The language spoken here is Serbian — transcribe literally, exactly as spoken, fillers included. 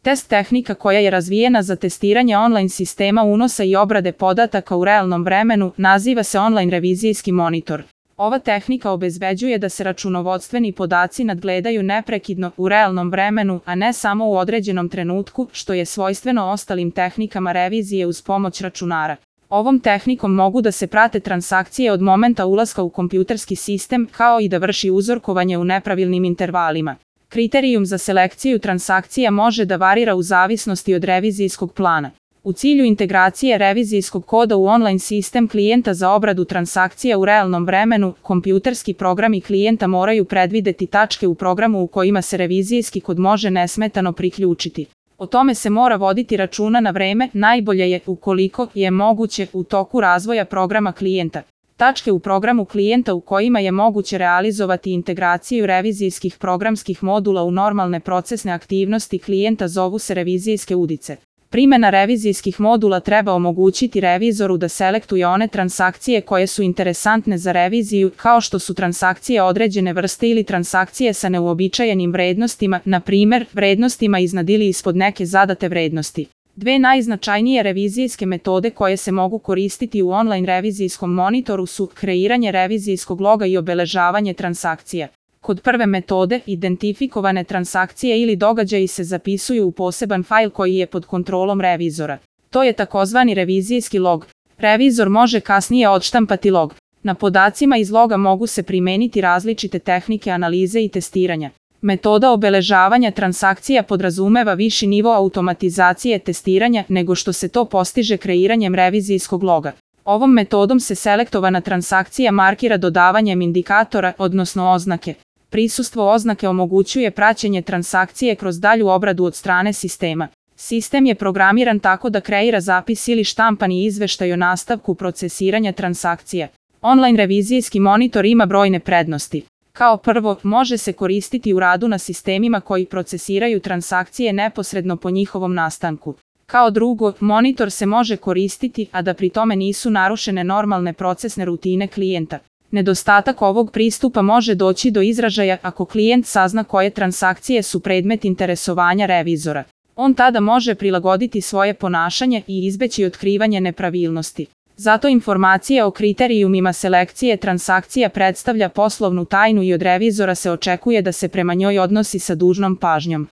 Test tehnika koja je razvijena za testiranje online sistema unosa i obrade podataka u realnom vremenu naziva se online revizijski monitor. Ova tehnika obezbeđuje da se računovodstveni podaci nadgledaju neprekidno u realnom vremenu, a ne samo u određenom trenutku, što je svojstveno ostalim tehnikama revizije uz pomoć računara. Ovom tehnikom mogu da se prate transakcije od momenta ulaska u kompjuterski sistem, kao i da vrši uzorkovanje u nepravilnim intervalima. Kriterijum za selekciju transakcija može da varira u zavisnosti od revizijskog plana. U cilju integracije revizijskog koda u online sistem klijenta za obradu transakcija u realnom vremenu, kompjuterski programi klijenta moraju predvideti tačke u programu u kojima se revizijski kod može nesmetano priključiti. O tome se mora voditi računa na vreme, najbolje je, ukoliko je moguće, u toku razvoja programa klijenta. Tačke u programu klijenta u kojima je moguće realizovati integraciju revizijskih programskih modula u normalne procesne aktivnosti klijenta zovu se revizijske udice. Primjena revizijskih modula treba omogućiti revizoru da selektuje one transakcije koje su interesantne za reviziju, kao što su transakcije određene vrste ili transakcije sa neuobičajenim vrednostima, na primjer, vrednostima iznad ili ispod neke zadate vrednosti. Dve najznačajnije revizijske metode koje se mogu koristiti u online revizijskom monitoru su kreiranje revizijskog loga i obeležavanje transakcija. Kod prve metode, identifikovane transakcije ili događaji se zapisuju u poseban fajl koji je pod kontrolom revizora. To je takozvani revizijski log. Revizor može kasnije odštampati log. Na podacima iz loga mogu se primeniti različite tehnike analize i testiranja. Metoda obeležavanja transakcija podrazumeva viši nivo automatizacije testiranja nego što se to postiže kreiranjem revizijskog loga. Ovom metodom se selektovana transakcija markira dodavanjem indikatora, odnosno oznake. Prisustvo oznake omogućuje praćenje transakcije kroz dalju obradu od strane sistema. Sistem je programiran tako da kreira zapis ili štampani izveštaj o nastavku procesiranja transakcija. Online revizijski monitor ima brojne prednosti. Kao prvo, može se koristiti u radu na sistemima koji procesiraju transakcije neposredno po njihovom nastanku. Kao drugo, monitor se može koristiti, a da pri tome nisu narušene normalne procesne rutine klijenta. Nedostatak ovog pristupa može doći do izražaja ako klijent sazna koje transakcije su predmet interesovanja revizora. On tada može prilagoditi svoje ponašanje i izbeći otkrivanje nepravilnosti. Zato informacija o kriterijumima selekcije transakcija predstavlja poslovnu tajnu i od revizora se očekuje da se prema njoj odnosi sa dužnom pažnjom.